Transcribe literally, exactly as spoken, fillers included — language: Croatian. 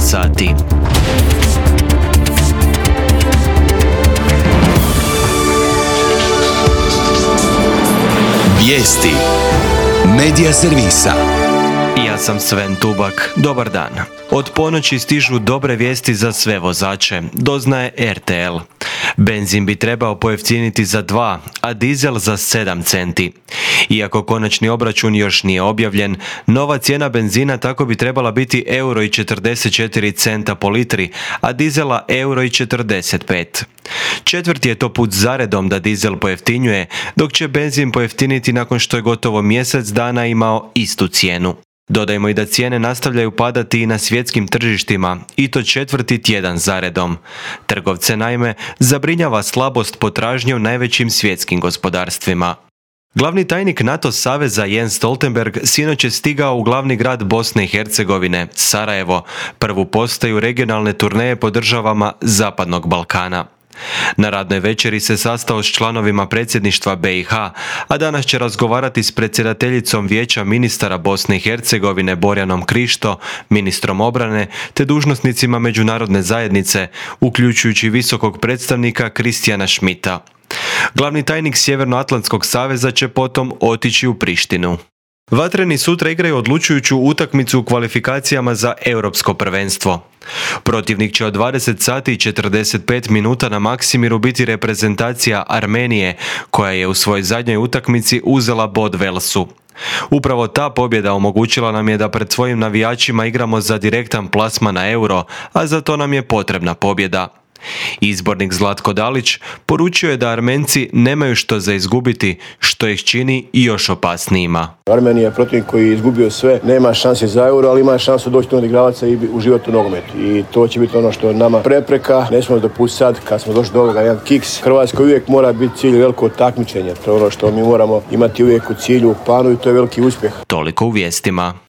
sati. Vijesti Medija servisa. Ja sam Sven Tubak. Dobar dan. Od ponoći stižu dobre vijesti za sve vozače, doznaje er te el. Benzin bi trebao pojeftiniti za dva, a dizel za sedam centi. Iako konačni obračun još nije objavljen, nova cijena benzina tako bi trebala biti euro i četrdeset četiri centa po litri, a dizela euro i četrdeset pet. Četvrti je to put zaredom da dizel pojeftinjuje, dok će benzin pojeftiniti nakon što je gotovo mjesec dana imao istu cijenu. Dodajmo i da cijene nastavljaju padati i na svjetskim tržištima, i to četvrti tjedan zaredom. Trgovce naime zabrinjava slabost potražnje u najvećim svjetskim gospodarstvima. Glavni tajnik NATO saveza Jens Stoltenberg sinoć je stigao u glavni grad Bosne i Hercegovine, Sarajevo, prvu postaju regionalne turneje po državama Zapadnog Balkana. Na radnoj večeri se sastao s članovima predsjedništva be i ha, a danas će razgovarati s predsjedateljicom Vijeća ministara Bosne i Hercegovine Borjanom Krišto, ministrom obrane, te dužnosnicima međunarodne zajednice, uključujući visokog predstavnika Kristijana Schmidta. Glavni tajnik Sjevernoatlantskog saveza će potom otići u Prištinu. Vatreni sutra igraju odlučujuću utakmicu u kvalifikacijama za europsko prvenstvo. Protivnik će od dvadeset sati i četrdeset pet minuta na Maksimiru biti reprezentacija Armenije, koja je u svojoj zadnjoj utakmici uzela bod Velsu. Upravo ta pobjeda omogućila nam je da pred svojim navijačima igramo za direktan plasman na euro, a za to nam je potrebna pobjeda. Izbornik Zlatko Dalić poručio je da Armenci nemaju što za izgubiti, što ih čini i još opasnijima. Armenija je protivnik koji je izgubio sve, nema šanse za euro, ali ima šansu doći do odigravaca i uživati u nogometu. I to će biti ono što je nama prepreka. Ne smijemo dopustiti sad, kad smo došli do ovoga, jedan kiks. Hrvatska uvijek mora biti cilj veliko takmičenje. To je ono što mi moramo imati uvijek u cilju, u planu, i to je veliki uspjeh. Toliko u vijestima.